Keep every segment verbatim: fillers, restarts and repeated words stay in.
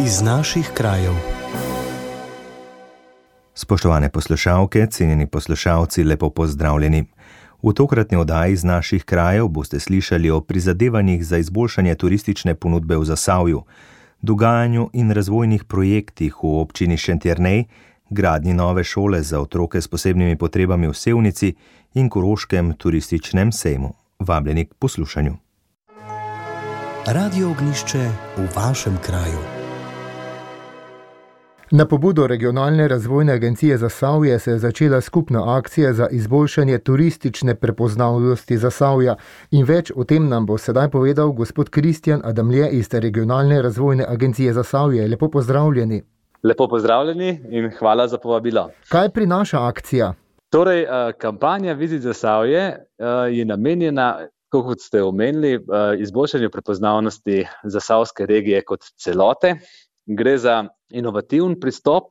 Iz naših krajev. Spoštovane poslušalke, cenjeni poslušalci, lepo pozdravljeni. V tokratni oddaji iz naših krajev boste slišali o prizadevanjih za izboljšanje turistične ponudbe v Zasavju, dogajanju in razvojnih projektih v občini Šentjernej, gradnji nove šole za otroke s posebnimi potrebami v Sevnici in Koroškem turističnem sejmu. Vabljeni k poslušanju. Radio Ognjišče v vašem kraju. Na pobudo Regionalne razvojne agencije Zasavje se je začela skupna akcija za izboljšanje turistične prepoznavnosti Zasavja. In več o tem nam bo sedaj povedal gospod Kristjan Adamlje iz Regionalne razvojne agencije Zasavje. Lepo pozdravljeni. Lepo pozdravljeni in hvala za povabilo. Kaj prinaša akcija? Torej, kampanja Vizit Zasavje je namenjena, kot ste omenili, izboljšanju prepoznavnosti zasavske regije kot celote. Gre za inovativen pristop,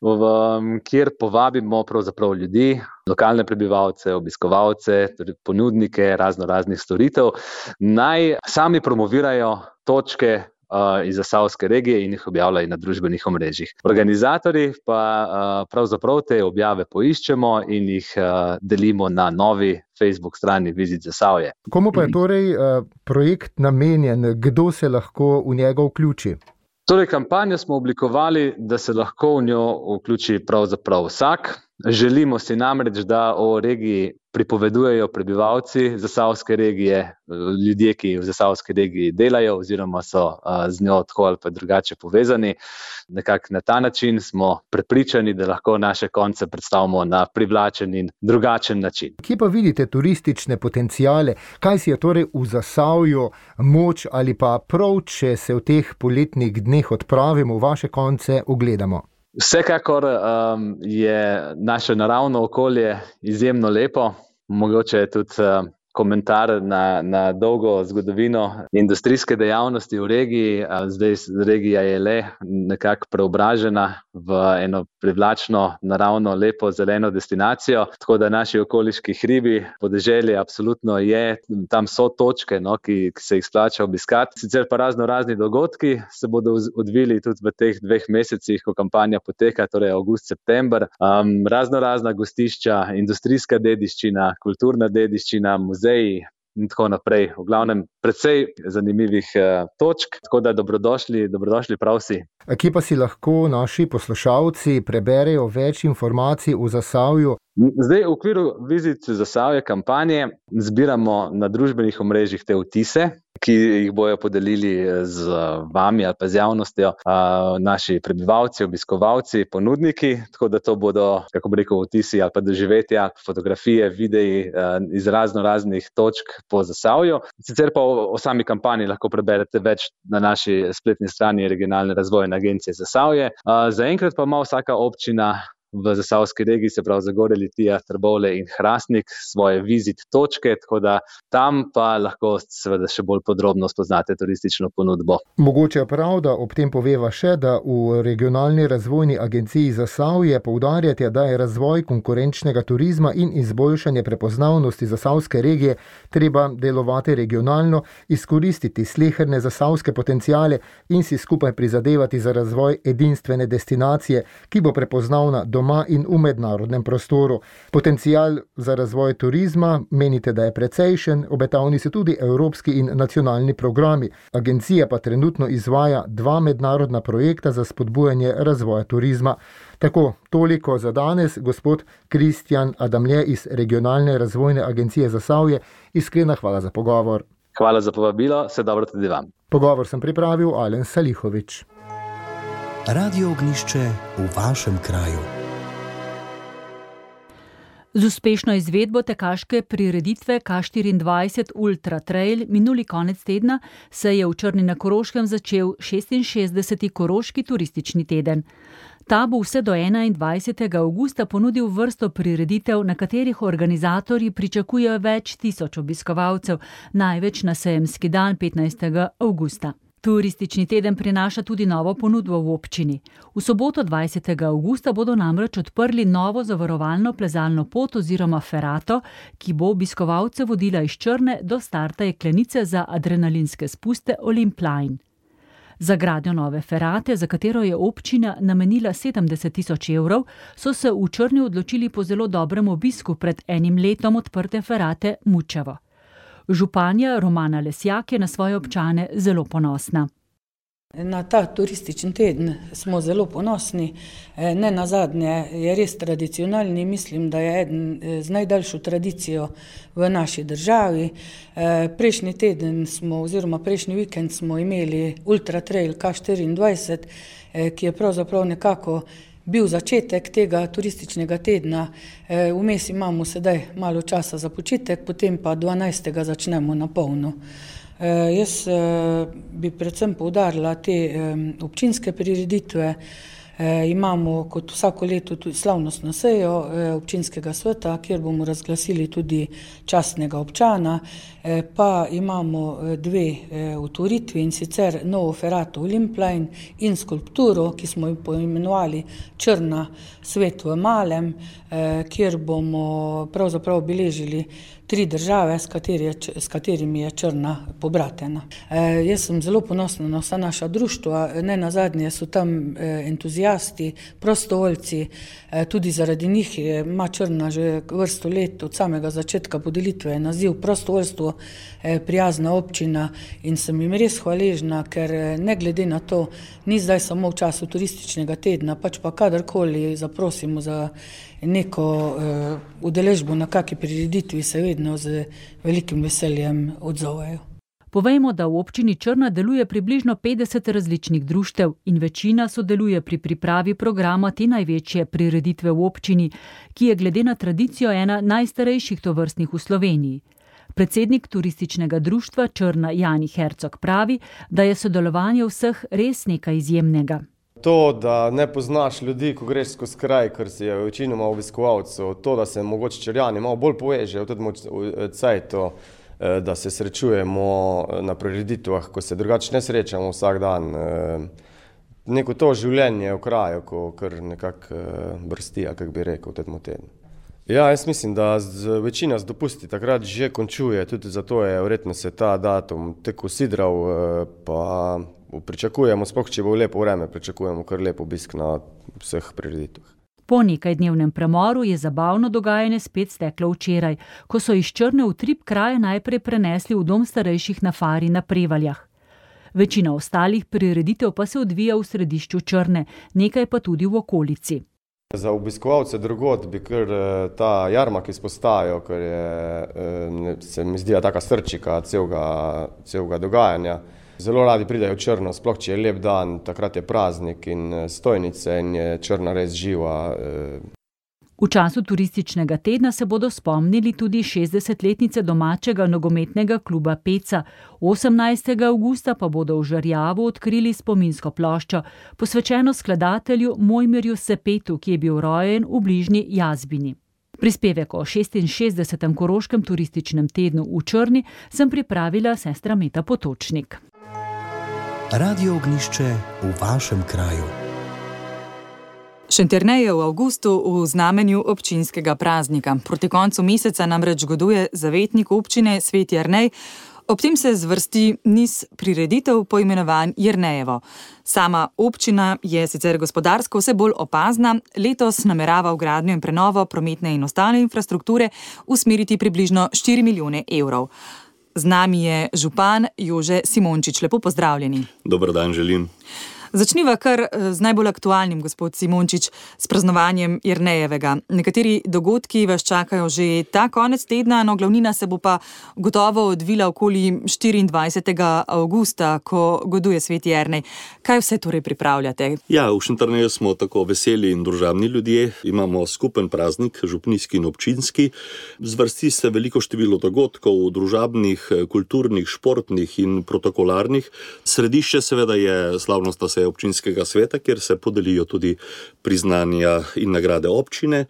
v, kjer povabimo pravzaprav ljudi, lokalne prebivalce, obiskovalce, torej ponudnike razno raznih storitev, naj sami promovirajo točke uh, iz zasavske regije in jih objavljajo na družbenih omrežjih. Organizatorji pa uh, pravzaprav te objave poiščemo in jih uh, delimo na novi Facebook strani Vizit Zasavje. Komu pa je torej uh, projekt namenjen, kdo se lahko v njega vključi? Torej, kampanjo smo oblikovali, da se lahko v njo vključi pravzaprav vsak. Želimo si namreč, da o regiji pripovedujejo prebivalci zasavske regije, ljudje, ki v zasavski regiji delajo oziroma so z njo tako ali pa drugače povezani. Nekako na ta način smo prepričani, da lahko naše konce predstavimo na privlačen in drugačen način. Kje pa vidite turistične potencijale? Kaj si je torej v Zasavju moč ali pa prav, če se v teh poletnih dneh odpravimo v vaše konce, ogledamo? Vsekakor um, je naše naravno okolje izjemno lepo, mogoče je tudi uh, komentar na, na dolgo zgodovino industrijske dejavnosti v regiji. Zdaj regija je le nekako preobražena v eno privlačno, naravno, lepo, zeleno destinacijo, tako da naši okoliški hribi, podeželje absolutno je, tam so točke, no, ki, ki se jih splača obiskati. Sicer pa razno razni dogodki se bodo odvili tudi v teh dveh mesecih, ko kampanja poteka, torej avgust, september. Um, razno razna gostišča, industrijska dediščina, kulturna dediščina, muzeji in tako naprej. V glavnem precej zanimivih uh, točk, tako da dobrodošli, dobrodošli prav vsi. Kje pa si lahko naši poslušalci preberejo več informacij o Zasavju? Zdaj v okviru Vizit Zasavje kampanje zbiramo na družbenih omrežjih te vtise, ki jih bojo podelili z vami ali pa z javnostjo naši prebivalci, obiskovalci, ponudniki, tako da to bodo, kako bi rekel, vtisi ali pa doživetja, fotografije, videi iz razno raznih točk po Zasavju. Sicer pa o, o sami kampanji lahko preberete več na naši spletni strani Regionalne razvojne agencije Zasavje. Zaenkrat pa ima vsaka občina v zasavski regiji, se pravi Zagorje, Litija, Trbovlje in Hrastnik, svoje vizit točke, tako da tam pa lahko seveda še bolj podrobno spoznate turistično ponudbo. Mogoče je prav, da ob tem poveva še, da v Regionalni razvojni agenciji Zasavje poudarjate, da je razvoj konkurenčnega turizma in izboljšanje prepoznavnosti zasavske regije treba delovati regionalno, izkoristiti sleherne zasavske potenciale in si skupaj prizadevati za razvoj edinstvene destinacije, ki bo prepoznavna doma in v mednarodnem prostoru. Potencial za razvoj turizma menite, da je precejšen, obetavni so tudi evropski in nacionalni programi. Agencija pa trenutno izvaja dva mednarodna projekta za spodbujanje razvoja turizma. Tako, toliko za danes, gospod Kristjan Adamlje iz Regionalne razvojne agencije Zasavje. Iskrena hvala za pogovor. Hvala za povabilo, vse dobro tudi vam. Pogovor sem pripravil Alen Salihovič. Radio Ognjišče v vašem kraju. Z uspešno izvedbo tekaške prireditve K štiriindvajset Ultra Trail minuli konec tedna se je v Črni na Koroškem začel šestinšestdeseti Koroški turistični teden. Ta bo vse do enaindvajsetega avgusta ponudil vrsto prireditev, na katerih organizatorji pričakujejo več tisoč obiskovalcev, največ na sejemski dan petnajstega avgusta. Turistični teden prinaša tudi novo ponudbo v občini. V soboto dvajsetega avgusta bodo namreč odprli novo zavarovalno plezalno pot oziroma ferato, ki bo obiskovalce vodila iz Črne do starta jeklenice za adrenalinske spuste Olympline. Za gradnjo nove ferate, za katero je občina namenila sedemdeset tisoč evrov, so se v Črni odločili po zelo dobrem obisku pred enim letom odprte ferate Mučevo. Županja Romana Lesjak je na svoje občane zelo ponosna. Na ta turistični teden smo zelo ponosni. Ne nazadnje je res tradicionalni, mislim, da je eden z najdaljšo tradicijo v naši državi. Prejšnji teden smo, oziroma prejšnji vikend smo imeli Ultra Trail K štiriindvajset, ki je pravzaprav nekako bil začetek tega turističnega tedna. Vmes imamo sedaj malo časa za počitek, potem pa dvanajstega začnemo na polno. Jaz bi predvsem poudarila te občinske prireditve. Imamo kot vsako leto tudi slavnostno sejo občinskega sveta, kjer bomo razglasili tudi častnega občana, pa imamo dve otvoritvi, in sicer novo ferato Olimpline in skulpturo, ki smo jo poimenovali Črna svet v malem, kjer bomo pravzaprav obeležili tri države, s, kateri, s katerimi je Črna pobratena. E, jaz sem zelo ponosna na vsa naša društva, ne nazadnje so tam entuzijasti, prostovoljci, e, tudi zaradi njih ima Črna že vrsto let od samega začetka podelitve naziv prostovoljstvo e, prijazna občina, in sem jim res hvaležna, ker ne glede na to, ni zdaj samo v času turističnega tedna, pač pa kadarkoli zaprosimo za neko uh, udeležbo na kakšni prireditvi, se vedno z velikim veseljem odzovejo. Povejmo, da v občini Črna deluje približno petdeset različnih društev in večina sodeluje pri pripravi programa te največje prireditve v občini, ki je glede na tradicijo ena najstarejših tovrstnih v Sloveniji. Predsednik turističnega društva Črna Jani Hercog pravi, da je sodelovanje vseh res nekaj izjemnega. To, da ne poznaš ljudi, ko greš skozi kraj, ker si je večinoma obiskovalcev, to, da se mogoče Črnjani malo bolj povežejo, tudi v cajtu, da se srečujemo na prireditvah, ko se drugače ne srečamo vsak dan. Neko to življenje v kraju, ko kar nekako brsti, kako bi rekel, v tem tednu. Ja, jaz mislim, da z, večina z dopusti takrat že končuje, tudi zato je verjetno se ta datum tako sidral, pa pričakujemo, sploh če bo lepo vreme, pričakujemo kar lep obisk na vseh prireditvah. Po nekajdnevnem premoru je zabavno dogajanje spet steklo včeraj, ko so iz Črne v Trip kraje najprej prenesli v dom starejših na Fari na Prevaljah. Večina ostalih prireditev pa se odvija v središču Črne, nekaj pa tudi v okolici. Za obiskovalce drugod bi kar ta jarmark izpostavil, ker je, se mi zdi, taka srčika celega, celega dogajanja. Zelo radi pridajo v Črno, sploh če je lep dan, takrat je praznik in stojnice in je Črna res živa. V času turističnega tedna se bodo spomnili tudi šestdesetletnice domačega nogometnega kluba Peca. osemnajstega avgusta pa bodo v Žerjavu odkrili spominsko ploščo, posvečeno skladatelju Mojmirju Sepetu, ki je bil rojen v bližnji Jazbini. Prispevek o šestinšestdesetem koroškem turističnem tednu v Črni sem pripravila sestra Meta Potočnik. Radio Ognjišče v vašem kraju. Šentjernej je v avgustu v znamenju občinskega praznika. Proti koncu meseca namreč goduje zavetnik občine Sveti Jernej. Ob tem se zvrsti niz prireditev poimenovan Jernejevo. Sama občina je sicer gospodarsko vse bolj opazna, letos namerava v gradnjo in prenovo prometne in ostale infrastrukture usmeriti približno štiri milijone evrov. Z nami je župan Jože Simončič. Lepo pozdravljeni. Dober dan želim. Začniva kar z najbolj aktualnim, gospod Simončič, s praznovanjem Jernejevega. Nekateri dogodki vas čakajo že ta konec tedna, no glavnina se bo pa gotovo odvila okoli štiriindvajsetega avgusta, ko goduje Sveti Jernej. Kaj vse torej pripravljate? Ja, v Šentjerneju smo tako veseli in družabni ljudje. Imamo skupen praznik, župnijski in občinski. Zvrsti se veliko število dogodkov, družabnih, kulturnih, športnih in protokolarnih. Središče seveda je slavnostna občinskega sveta, kjer se podelijo tudi priznanja in nagrade občine.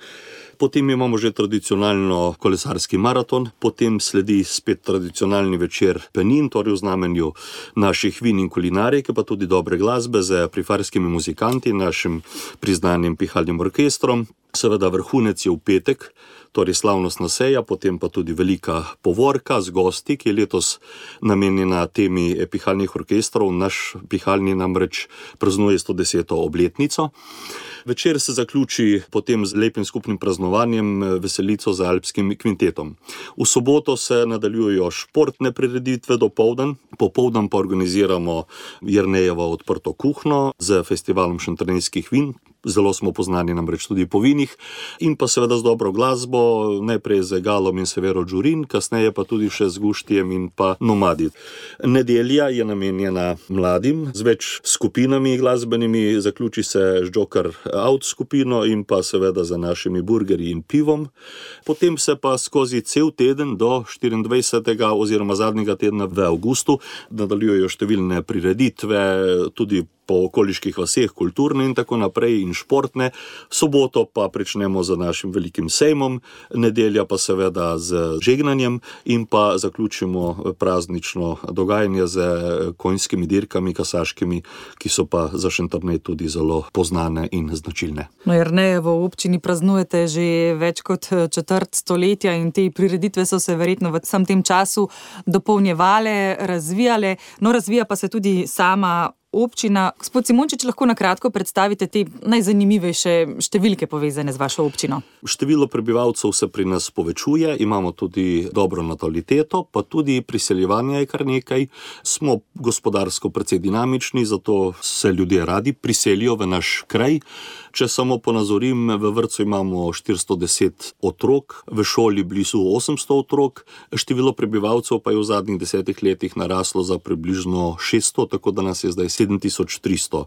Potem imamo že tradicionalno kolesarski maraton, potem sledi spet tradicionalni večer penin, torej v znamenju naših vin in kulinarike, pa tudi dobre glasbe z prifarskimi muzikanti, našim priznanim pihalnim orkestrom. Seveda vrhunec je v petek, torej slavnostna seja, potem pa tudi velika povorka z gosti, ki je letos namenjena temi pihalnih orkestrov. Naš pihalni namreč praznuje sto deseto obletnico. Večer se zaključi potem z lepim skupnim praznovanjem, veselico z alpskim kvintetom. V soboto se nadaljujejo športne prireditve dopoldan, popoldan pa organiziramo Jernejevo odprto kuhno z festivalom šentjernejskih vin. Zelo smo poznani namreč tudi po vinih in pa seveda z dobro glasbo, najprej z Galom in Severo Đurin, kasneje pa tudi še z Guštijem in pa Nomadi. Nedelja je namenjena mladim z več skupinami glasbenimi, zaključi se z Joker Out skupino in pa seveda za našimi burgerji in pivom. Potem se pa skozi cel teden do štiriindvajsetega oziroma zadnjega tedna v avgustu nadaljujejo številne prireditve, tudi po okoliških vaseh, kulturne in tako naprej in športne. Soboto pa pričnemo z našim velikim sejmom, nedelja pa seveda z žegnanjem in pa zaključimo praznično dogajanje z konjskimi dirkami, kasaškimi, ki so pa za Šentjernej tudi zelo poznane in značilne. No, Jernejevo v občini praznujete že več kot četrt stoletja in te prireditve so se verjetno v vsem tem času dopolnjevale, razvijale, no razvija pa se tudi sama občina. Gospod Simončič, lahko na kratko predstavite te najzanimivejše številke povezane z vašo občino? Število prebivalcev se pri nas povečuje, imamo tudi dobro nataliteto, pa tudi priseljevanje je kar nekaj. Smo gospodarsko precej dinamični, zato se ljudje radi priselijo v naš kraj. Če samo ponazorim, v vrtcu imamo štiristo deset otrok, v šoli blizu osemsto otrok, število prebivalcev pa je v zadnjih desetih letih naraslo za približno šeststo, tako da nas je zdaj sedem tisoč tristo.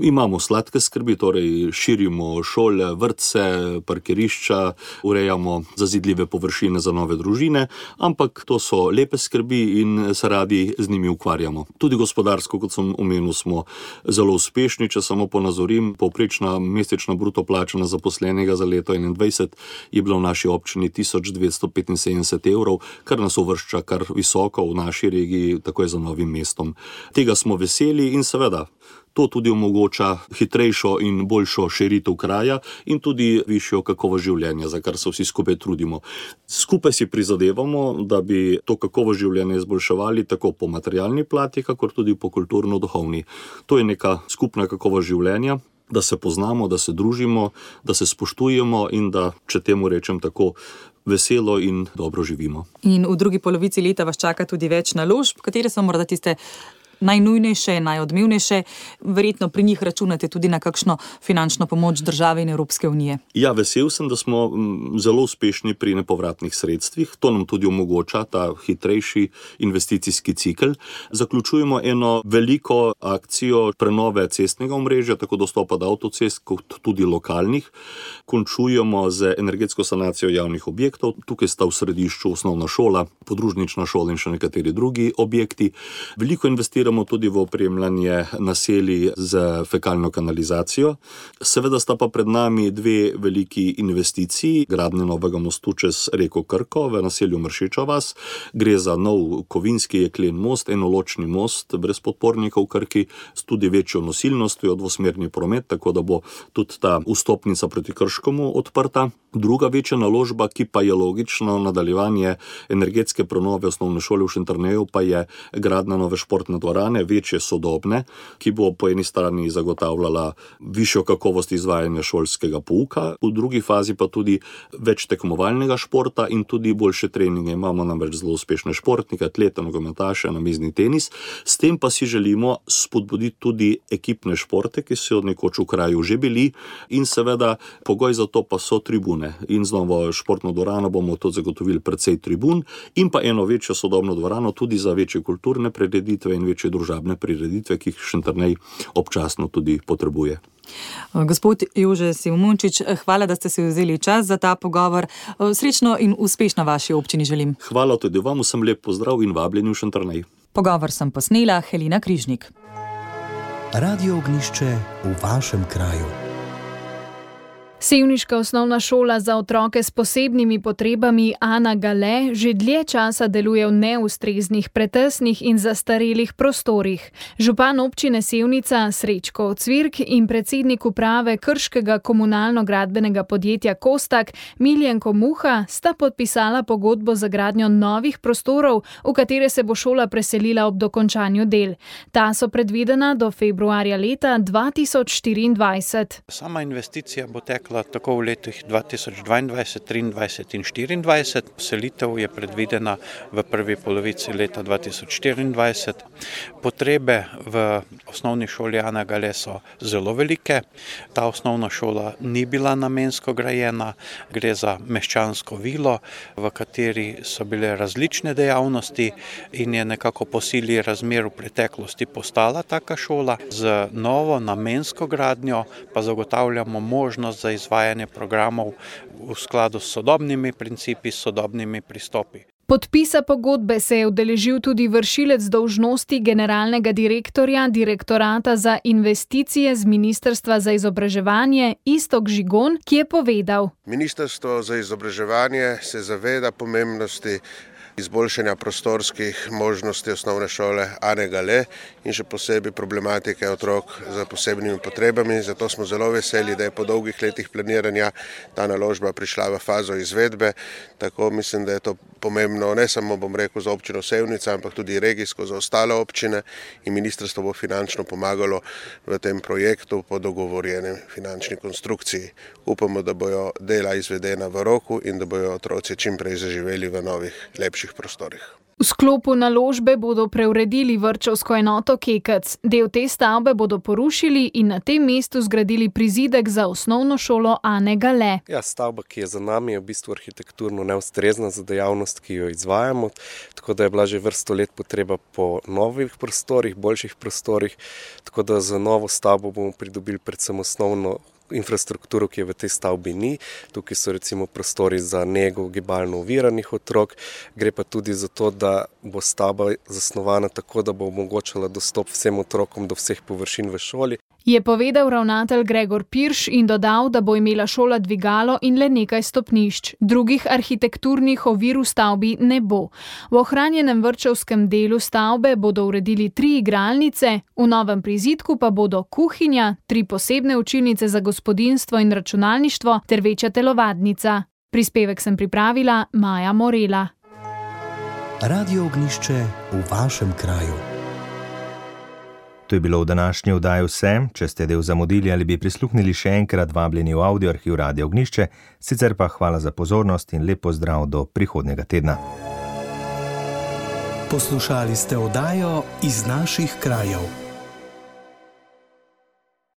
Imamo sladke skrbi, torej širimo šole, vrtce, parkirišča, urejamo zazidljive površine za nove družine, ampak to so lepe skrbi in se radi z njimi ukvarjamo. Tudi gospodarsko, kot sem omenil, smo zelo uspešni. Če samo ponazorim, povprečna mesečna bruto plača na zaposlenega za leto enaindvajset je bila v naši občini tisoč dvesto petinsedemdeset evrov, kar nas uvršča kar visoko v naši regiji, takoj za Novim mestom. Tega smo veseli in seveda to tudi omogoča hitrejšo in boljšo širitev kraja in tudi višjo kakovost življenja, za kar se vsi skupaj trudimo. Skupaj si prizadevamo, da bi to kakovost življenja izboljševali tako po materialni plati, kakor tudi po kulturno-duhovni. To je neka skupna kakovost življenja, da se poznamo, da se družimo, da se spoštujemo in da, če temu rečem tako, veselo in dobro živimo. In v drugi polovici leta vas čaka tudi več naložb, katere so morda tiste najnujnejše, najodmevnejše, verjetno pri njih računate tudi na kakšno finančno pomoč države in Evropske unije. Ja, vesel sem, da smo zelo uspešni pri nepovratnih sredstvih. To nam tudi omogoča ta hitrejši investicijski cikel. Zaključujemo eno veliko akcijo prenove cestnega omrežja, tako dostopa do avtocest, kot tudi lokalnih. Končujemo z energetsko sanacijo javnih objektov. Tukaj sta v središču osnovna šola, podružnična šola in še nekateri drugi objekti. Veliko investiramo tudi v opremljanje naselij z fekalno kanalizacijo. Seveda sta pa pred nami dve veliki investiciji, gradnja novega mostu čez reko Krko v naselju Mršiča vas. Gre za nov kovinski jeklen most, enoločni most brez podpornikov v Krki, s tudi večjo nosilnostjo, dvosmerni promet, tako da bo tudi ta vstopnica proti Krškomu odprta. Druga večja naložba, ki pa je logično nadaljevanje energetske prenove osnovne šole v Šentjerneju, pa je gradnja nove športne dvorane, večje sodobne, ki bo po eni strani zagotavljala višjo kakovost izvajanja šolskega pouka, v drugi fazi pa tudi več tekmovalnega športa in tudi boljše treninge. Imamo namreč zelo uspešne športnike, atlete, nogometaše, namizni tenis. S tem pa si želimo spodbuditi tudi ekipne športe, ki so nekoč v kraju že bili, in seveda pogoj za to pa so tribune. In z novo športno dvorano bomo tudi zagotovili precej tribun in pa eno večjo sodobno dvorano tudi za večje kulturne prireditve in večje družabne prireditve, ki jih Šentjernej občasno tudi potrebuje. Gospod Jože Simončič, hvala, da ste si vzeli čas za ta pogovor. Srečno in uspešno vaši občini želim. Hvala tudi vam, vsem lep pozdrav in vabljeni v Šentjernej. Pogovor sem posnela Helena Križnik. Radio Ognjišče v vašem kraju. Sevniška osnovna šola za otroke s posebnimi potrebami Ana Gale že dlje časa deluje v neustreznih, pretesnih in zastarelih prostorih. Župan občine Sevnica Srečko Cvirk in predsednik uprave Krškega komunalno-gradbenega podjetja Kostak Miljenko Muha sta podpisala pogodbo za gradnjo novih prostorov, v katere se bo šola preselila ob dokončanju del. Ta so predvidena do februarja leta dva tisoč štiriindvajset. Sama investicija bo tekla tako v letih dva tisoč dvaindvajset, triindvajset in štiriindvajset. Selitev je predvidena v prvi polovici leta dva tisoč štiriindvajset. Potrebe v osnovni šoli Ana Gale so zelo velike. Ta osnovna šola ni bila namensko grajena, gre za meščansko vilo, v kateri so bile različne dejavnosti in je nekako po sili razmer v preteklosti postala taka šola. Z novo namensko gradnjo pa zagotavljamo možnost za izvajanje programov v skladu s sodobnimi principi, s sodobnimi pristopi. Podpisa pogodbe se je udeležil tudi vršilec dolžnosti generalnega direktorja Direktorata za investicije z Ministrstva za izobraževanje Iztok Žigon, ki je povedal: Ministrstvo za izobraževanje se zaveda pomembnosti izboljšanja prostorskih možnosti osnovne šole Ane Gale in še posebej problematike otrok z posebnimi potrebami. Zato smo zelo veseli, da je po dolgih letih planiranja ta naložba prišla v fazo izvedbe. Tako mislim, da je to pomembno ne samo, bom rekel, za občino Sevnica, ampak tudi regijsko za ostale občine in ministrstvo bo finančno pomagalo v tem projektu po dogovorjeni finančni konstrukciji. Upamo, da bojo dela izvedena v roku in da bojo otroci čim prej zaživeli v novih, lepših prostorih. V sklopu naložbe bodo preuredili vrtčevsko enoto Kekec. Del te stavbe bodo porušili in na tem mestu zgradili prizidek za osnovno šolo Ane Gale. Ja, stavba, ki je za nami, je v bistvu arhitekturno neustrezna za dejavnost, ki jo izvajamo, tako da je bila že vrsto let potreba po novih prostorih, boljših prostorih, tako da za novo stavbo bomo pridobili predvsem osnovno infrastrukturo, ki je v tej stavbi ni. Tukaj so recimo prostori za nego gibalno oviranih otrok. Gre pa tudi za to, da bo stavba zasnovana tako, da bo omogočala dostop vsem otrokom do vseh površin v šoli. Je povedal ravnatelj Gregor Pirš in dodal, da bo imela šola dvigalo in le nekaj stopnišč. Drugih arhitekturnih ovir v stavbi ne bo. V ohranjenem vrtčevskem delu stavbe bodo uredili tri igralnice, v novem prizidku pa bodo kuhinja, tri posebne učilnice za gospodinjstvo in računalništvo ter večja telovadnica. Prispevek sem pripravila Maja Morela. Radio Ognjišče v vašem kraju. To je bilo v današnji oddaji vse. Če ste del zamudili ali bi prisluhnili še enkrat, vabljeni v audioarhiv Radio Ognjišče, sicer pa hvala za pozornost in lep pozdrav do prihodnjega tedna. Poslušali ste oddajo Iz naših krajev.